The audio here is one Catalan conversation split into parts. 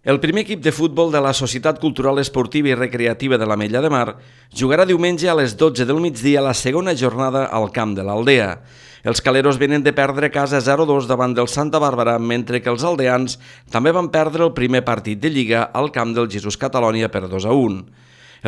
El primer equip de futbol de la Societat Cultural Esportiva i Recreativa de l'Ametlla de Mar jugarà diumenge a les 12 del migdia la segona jornada al camp de l'Aldea. Els caleros venen de perdre a casa 0-2 davant del Santa Bàrbara, mentre que els aldeans també van perdre el primer partit de Lliga al camp del Jesús Catalònia per 2-1.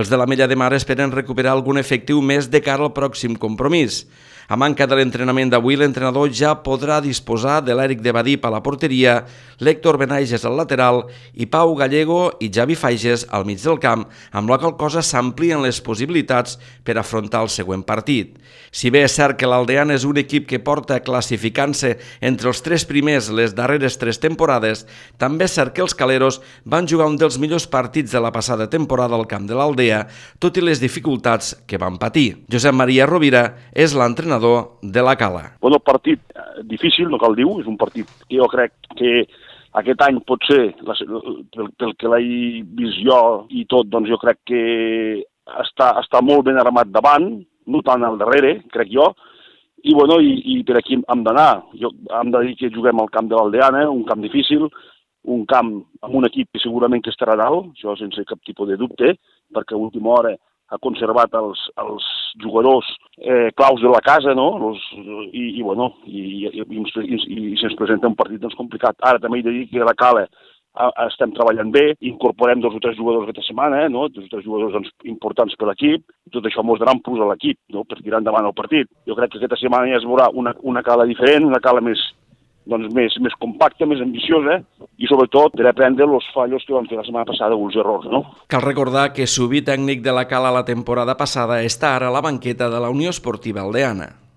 Els de l'Ametlla de Mar esperen recuperar algun efectiu més de cara al pròxim compromís. A manca de l'entrenament d'avui, l'entrenador ja podrà disposar de l'Eric de Badip a la porteria, l'Héctor Benaiges al lateral i Pau Gallego i Javi Faiges al mig del camp, amb la qual cosa s'amplien les possibilitats per afrontar el següent partit. Si bé és cert que l'Aldean és un equip que porta classificant-se entre els 3 primers les darreres 3 temporades, també és cert que els caleros van jugar un dels millors partits de la passada temporada al camp de l'Aldea, tot i les dificultats que van patir. Josep Maria Rovira és l'entrenador de la Cala. Bueno, partit difícil, no cal dir-ho, és un partit que jo crec que aquest any potser, pel que l'he vist jo i tot, doncs jo crec que està molt ben armat davant, no tant al darrere, crec jo, i bueno, i per aquí hem d'anar. Hem de dir que juguem al camp de l'Aldeana, un camp difícil, un camp amb un equip que segurament que estarà dalt, això sense cap tipus de dubte, perquè a última hora ha conservat els jugadors claus de la casa, no? I se'ns presenta un partit doncs, complicat. Ara també he de dir que a la Cala estem treballant bé, incorporem 2 o 3 jugadors aquesta setmana, no? 2 o 3 jugadors doncs, importants per l'equip, i tot això ens donarà un plus a l'equip, no? Per tirar endavant el partit. Jo crec que aquesta setmana ja es veurà una Cala diferent, una Cala més compacta, més ambiciosa i sobretot per aprendre els fallos que vam fer la setmana passada, els errors, no? Cal recordar que subí tècnic de la Cala la temporada passada està ara a la banqueta de la Unió Esportiva Aldeana.